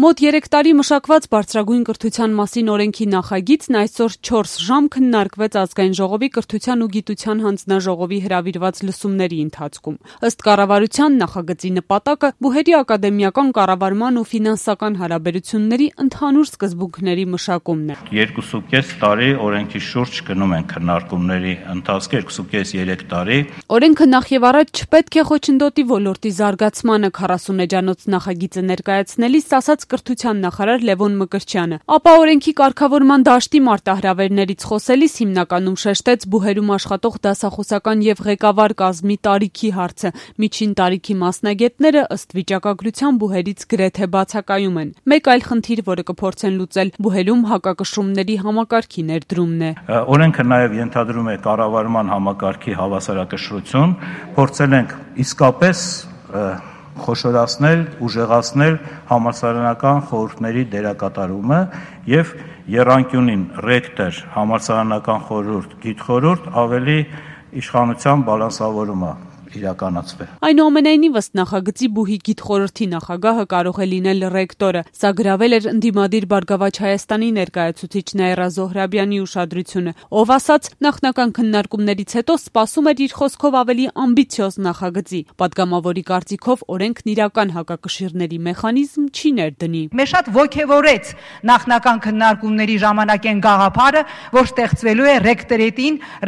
Մոտ 3 տարի մշակված բարձրագույն կրթության մասին օրենքի նախագիծն այսօր 4 ժամ քննարկվեց Ազգային ժողովի կրթության ու գիտության հանձնաժողովի հրավիրված լսումների ընթացքում։ Ըստ կառավարության նախագծի նպատակը բուհերի ակադեմիական կառավարման ու ֆինանսական հարաբերությունների ընդհանուր սկզբունքների մշակումն է։ 2.5 տարի օրենքի շուրջ գնում են քննարկումների ընթացքը, 2.5-3 տարի։ Օրենքը նախ եւ առաջ չպետք է խոչընդոտի ոլորտի զարգացմանը 40 էջանոց նախագիծը ներկայացնելիս ասաց կրթության նախարար Լևոն Մկրտչյանը, ապա օրենքի կարգավորման դաշտի մարտահրավերներից խոսելիս հիմնականում շեշտեց բուհերում աշխատող դասախոսական եւ ղեկավար կազմի տարիքի հարցը։ Միջին տարիքի մասնագետները ըստ վիճակագրության բուհերից գրեթե բացակայում են։ Մեկ այլ խնդիր, որը կփորձեն լուծել, բուհերում հակակշռումների համակարգի ներդրումն է։ Օրենքը նաեւ ենթադրում է կառավարման համակարգի հավասարակշռություն, փորձել ենք իսկապես խոշորացնել, ուժեղացնել համալսարանական խորհուրդների դերակատարումը եւ եռանկյունին ռեկտոր, համալսարանական խորհուրդ, գիտխորհուրդ ավելի իշխանության բալանսավորումը իրականացվել։ Այնուամենայնիվ ըստ նախագծի բուհի գիտխորհրդի նախագահը կարող է լինել ռեկտորը։ Սա գրավել էր ընդդիմադիր Բարգավաճ Հայաստանի ներկայացուցիչ Նաիրա Զոհրաբյանի ուշադրությունը, ով ասաց, նախնական քննարկումներից հետո սպասում էր իր խոսքով ավելի ամբիցիոզ նախագծի։ Պատգամավորի կարծիքով օրենքն իրական հակակշիռների մեխանիզմ չի ներդնի։ Մեզ շատ ոգևորեց նախնական քննարկումների ժամանակեն գաղափարը, որ ստեղծվելու է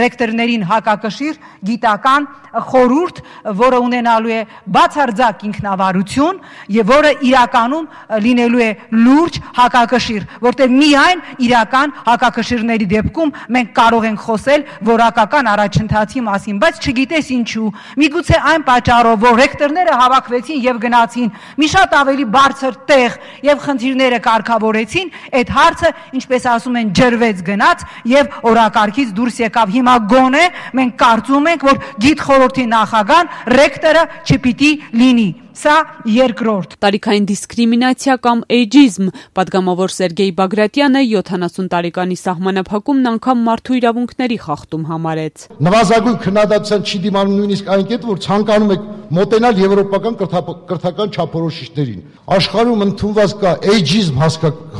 ռեկտորներին հակակշիռ գիտական խորհուրդ, որը ունենալու է բացարձակ ինքնավարություն եւ որը իրականում լինելու է լուրջ հակակշիռ, որտեղ միայն իրական հակակշիռների դեպքում մենք կարող ենք խոսել որակական առաջընթացի մասին, բայց չգիտես ինչու։ Միգուցե այն պատճառով, որ ռեկտորները հավաքվեցին եւ գնացին մի շատ ավելի բարձր տեղ եւ խնդիրները կարգավորեցին, այդ հարցը, ինչպես ասում են, ջրվեց գնաց եւ օրակարգից դուրս եկավ։ Հիմա գոնե մենք կարծում ենք, որ գիտխորհրդի նախագահան ռեկտորը չպիտի լինի։ Սա երկրորդ։ Տարիքային դիսկրիմինացիա կամ էյջիզմ։ Պատգամավոր Սերգեյ Բագրատյանը 70 տարեկանի սահմանափակումն անգամ մարդու իրավունքների խախտում համարեց։ Նվազագույն քննադատության չի դիմանում նույնիսկ այն կետը, որ ցանկանում եք մոտենալ եվրոպական կրթական չափորոշիչներին։ Աշխարհում ընդունված կա էյջիզմ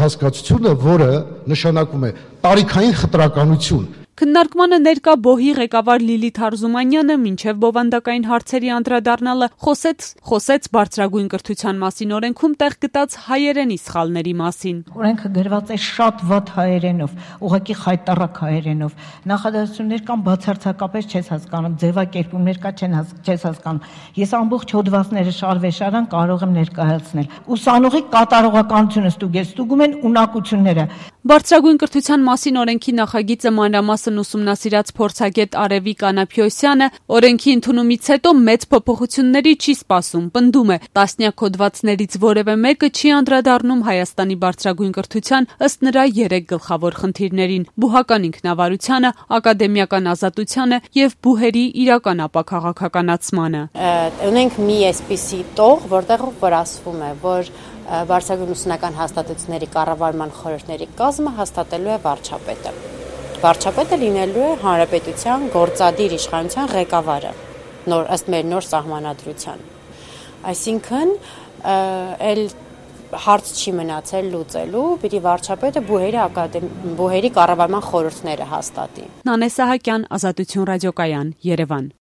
հասկացությունը, որը նշանակում է տարիքային խտրականություն։ Քննարկմանը ներկա բոհի ղեկավար Լիլիթ Արզումանյանը մինչև բովանդակային հարցերի անդրադառնալը խոսեց բարձրագույն կրթության մասին օրենքում տեղ գտած հայերենի սխալների մասին։ Օրենքը գրված է շատ վատ հայերենով, ուղղակի խայտառակ հայերենով։ Նախադասություններ կան բացարձակապես չես հասկանում, ձևակերպումներ կա չես հասկանում։ Ես ամբողջ հոդվածները շարվեշարան կարող եմ ներկայացնել։ Ուսանողի կատարողականությունը ստուգում են ունակությունները։ Բարձրագույն կրթության մասին օրենքի նախագիծը մանրամասն ուսումնասիրած փորձագետ Արևիկ Անապյոսյանը օրենքի ընդունումից հետո մեծ փոփոխությունների չի սպասում, պնդում է, տասնյակ հոդվածներից որևէ մեկը չի անդրադառնում Հայաստանի բարձրագույն կրթության ըստ նրա 3 գլխավոր խնդիրներին՝ բուհական ինքնավարությանը, ակադեմիական ազատությանը եւ բուհերի իրական ապաքաղաքականացմանը։ Ունենք մի այսպիսի տող, որտեղ ասվում է, որ բարձրագույն ուսումնական հաստատությունների կառավարման խորհուրդների կազմը հաստատելու է վարչապետը։ Վարչապետը լինելու է հանրապետության գործադիր իշխանության ղեկավարը, ըստ մեր նոր սահմանադրության։ Այսինքն, այլ հարց չի մնացել լուծելու, պիտի վարչապետը բուհերի կառավարման խորհուրդները հաստատի։ Նանե Սահակյան, Ազատություն ռադիոկայան, Երևան։